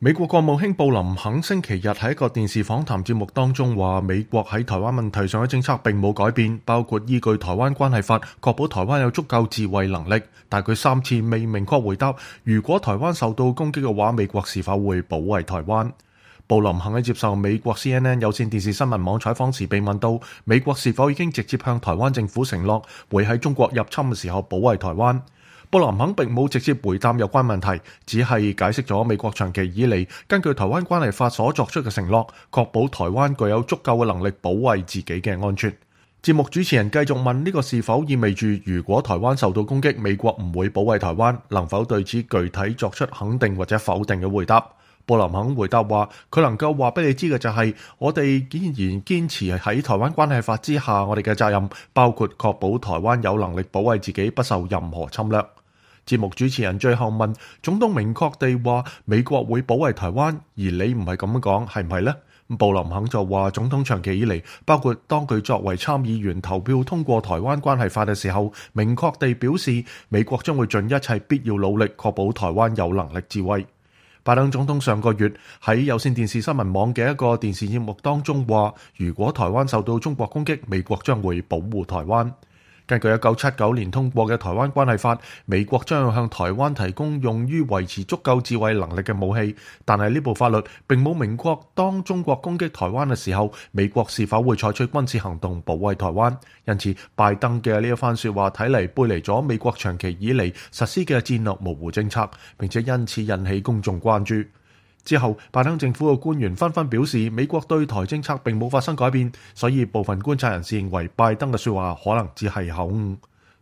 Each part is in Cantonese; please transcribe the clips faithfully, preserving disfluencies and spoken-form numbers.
美國國務卿布林肯星期日喺一個電視訪談節目當中話，美國喺台灣問題上嘅政策並冇改變，包括依據台灣關係法確保台灣有足夠自衛能力。但佢三次未明確回答，如果台灣受到攻擊嘅話，美國是否會保衛台灣。布林肯喺接受美國 C N N 有線電視新聞網採訪時被問到，美國是否已經直接向台灣政府承諾會喺中國入侵嘅時候保衛台灣。布林肯並冇直接回答有關問題，只係解釋咗美國長期以嚟根據台灣關係法所作出嘅承諾，確保台灣具有足夠嘅能力保衛自己嘅安全。節目主持人繼續問呢個是否意味住如果台灣受到攻擊，美國唔會保衛台灣，能否對此具體作出肯定或者否定嘅回答？布林肯回答話，佢能夠話俾你知嘅就係，我哋依然堅持喺台灣關係法之下，我哋嘅責任包括確保台灣有能力保衛自己不受任何侵略。節目主持人最後問，總統明確地話美國會保衛台灣，而你唔係咁樣講，係唔係呢？布林肯就話，總統長期以嚟，包括當佢作為參議員投票通過台灣關係法嘅時候，明確地表示美國將會盡一切必要努力確保台灣有能力自衛。拜登總統上個月喺有線電視新聞網嘅一個電視節目當中話，如果台灣受到中國攻擊，美國將會保護台灣。根據一九七九年通過嘅台灣關係法，美國將要向台灣提供用於維持足夠自衛能力嘅武器，但係呢部法律並冇明確當中國攻擊台灣嘅時候，美國是否會採取軍事行動保衛台灣。因此，拜登嘅呢一番說話睇嚟背離咗美國長期以嚟實施嘅戰略模糊政策，並且因此引起公眾關注。之後，拜登政府嘅官員紛紛表示，美國對台政策並冇發生改變，所以部分觀察人士認為拜登嘅說話可能只係口誤。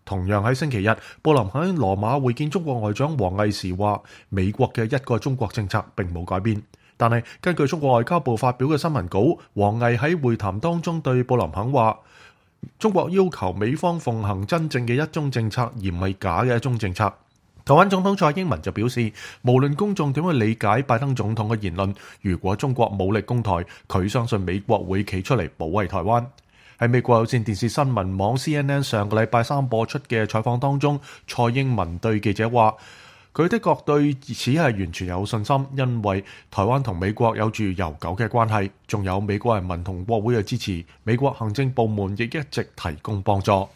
同樣喺星期日，布林肯喺羅馬會見中國外長王毅時話，美國嘅一個中國政策並冇改變。但係根據中國外交部發表嘅新聞稿，王毅喺會談當中對布林肯話，中國要求美方奉行真正嘅一中政策，而唔係假嘅一中政策。台灣總統蔡英文就表示，無論公眾點樣理解拜登總統嘅言論，如果中國武力攻台，佢相信美國會企出嚟保衛台灣。喺美國有線電視新聞網 C N N 上個禮拜三播出嘅採訪當中，蔡英文對記者話，佢的確對此係完全有信心，因為台灣同美國有住悠久嘅關係，仲有美國人民同國會嘅支持，美國行政部門亦一直提供幫助。